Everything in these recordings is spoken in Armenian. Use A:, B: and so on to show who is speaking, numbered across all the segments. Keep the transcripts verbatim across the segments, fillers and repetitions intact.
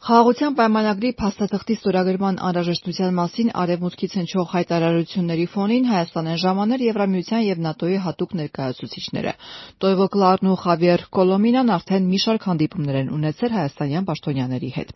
A: Խաղաղության պայմանագրի փաստաթղթի ստորագրման անհրաժեշտության մասին Արևմուտքից հնչող հայտարարությունների ֆոնին Հայաստան են ժամանել Եվրամիության և ՆԱՏՕ-ի հատուկ ներկայացուցիչները։ Տոյվո Կլարն ու Խավիեր Կոլոմինան արդեն մի շարք հանդիպումներ են ունեցել հայաստանյան պաշտոնյաների հետ։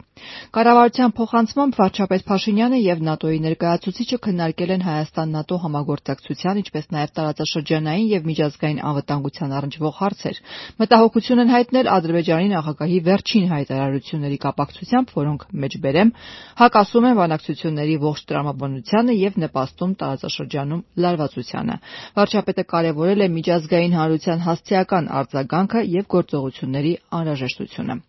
A: Կառավարության փոխանցմամբ վարչապետ Փաշինյանը և ՆԱՏՕ-ի ներկայացուցիչը քննարկել են Հայաստան-ՆԱՏՕ համագործակցության, ինչպես նաև տարածաշրջանային և միջազգային անվտանգության առնչվող հարցեր։ Մտահոգություն են հայտնել Ադրբեջանի նախագահի վերջին հայտարարությունների կապակցությամբ, որոնք մեջբերեմ հակասում են բանակցությունների ողջ տրամաբանությանը և նպաստում տարածաշրջանում լարվածությանը։ Վարչապետը կարևորել է միջազգային հանրության հասցեական արձագանքը և գործողությունների անհրաժեշտությունը։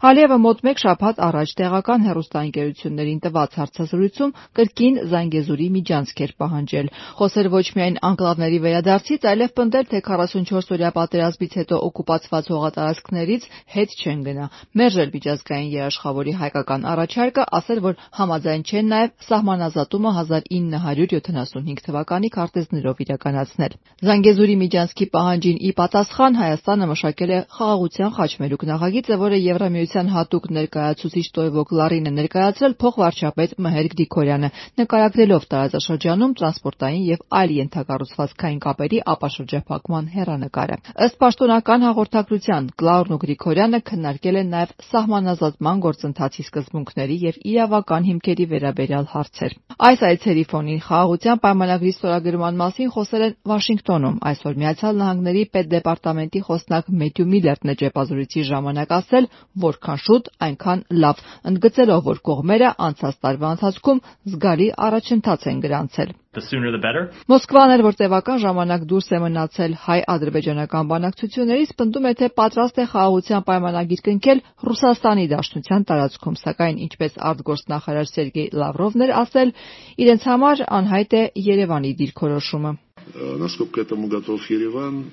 A: Ալիևը մոտ մեկ շաբաթ առաջ տեղական հեռուստաընկերություններին տված հարցազրույցում կրկին Զանգեզուրի միջանցք էր պահանջել։ Խոսել ոչ միայն անկլավների վերադարձից, այլև պնդել, թե քառասունչորս-օրյա պատերազմից հետո օկուպացված հողատարածքներից հետ չեն գնա, մերժել միջազգային երաշխավորի հայկական առաջարկը, ասել, որ համաձայն չեն նաև սահմանազատումը հազար ինը հարյուր յոթանասունհինգ թվականի քարտեզներով իրականացնել։ Զանգեզուրի միջանցքի պահանջին ի պատասխան Հայաստանը մշակել է Խաղաղության խաչմերուկ նախագիծը, որը Եվրամիության հատուկ ներկայացուցիչ Տոյվո Կլարին է ներկայացրել փոխվարչապետ Մհեր Գրիգորյանը, նկարագրելով տարածաշրջանում տրանսպորտային և այլ ենթակառուցվածքային կապերի ապաշրջափակման հեռանկարը։ Ըստ պաշտոնական հաղորդագրության, Կլարն ու Գրիգորյանը քննարկել են նաև սահմանազատման գործընթացի սկզբունքների և իրավական հիմքերի վերաբերյալ հարցեր։ Այս այցերի ֆոնին Խաղաղության պայմանագրի ստորագրման մասին խոսել են Վաշինգտոնում։ Այսօր Միացյալ Նահանգների պետդեպարտամենտի խոսնակ Մեթյու Միլլերն է ճեպազրույցի ժամանակ ասել, որքան շուտ, այնքան լավ, ընդգծելով, որ կողմերը անցած տարվա ընթացքում զգալի առաջընթաց են գրանցել։ Մոսկվան էլ, որ տևական ժամանակ դուրս է մնացել հայ-ադրբեջանական բանակցություններից, պնդում է, թե պատրաստ է խաղաղության պայմանագիր կնքել Ռուսաստանի Դաշնության տարածքում, սակայն, ինչպես արտգործնախարար Սերգեյ Լավրովն էր ասել, իրենց համար անհայտ է Երևանի դիրքորոշումը։
B: Насколько этому готов Ереван,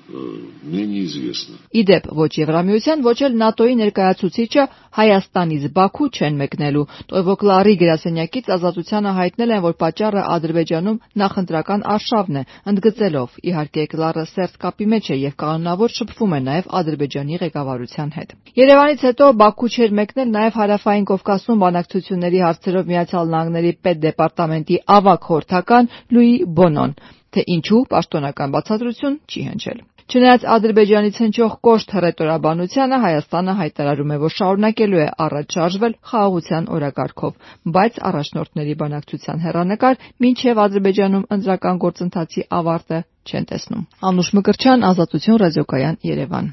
B: мне неизвестно.
A: Իդեպ ոչ Եվրամիության, ոչ էլ ՆԱՏՕ-ի ներկայացուցիչը Հայաստանից Բաքու չեն մեկնելու։ Տոյվո Կլարի գրասենյակից Ազատությանը հայտնել են, որ պատճառը Ադրբեջանում նախընտրական արշավն է, ընդգծելով, իհարկե Կլարը սերտ կապի մեջ է և կանոնավոր շփվում է նաև Ադրբեջանի ղեկավարության հետ։ Երևանից հետո Բաքու չէր մեկնել նաև Հարավային Կովկասում բանակցությունների հարցերով Միացյալ Նահանգների պետդեպարտամենտի ավագ խորհրդական Լուի Բոնոն, թե ինչու պաշտոնական բացատրություն չի հնչել։ Չնայած Ադրբեջանից հնչող կոշտ հռետորաբանությանը, Հայաստանը հայտարարում է, որ շարունակելու է առաջ շարժվել խաղաղության օրակարգով, բայց առաջնորդների բանակցության հեռանկար մինչև Ադրբեջանում ընտրական գործընթացի ավարտը չեն տեսնում։ Անուշ Մկրտչյան, Ազատություն ռադիոկայան, Երևան։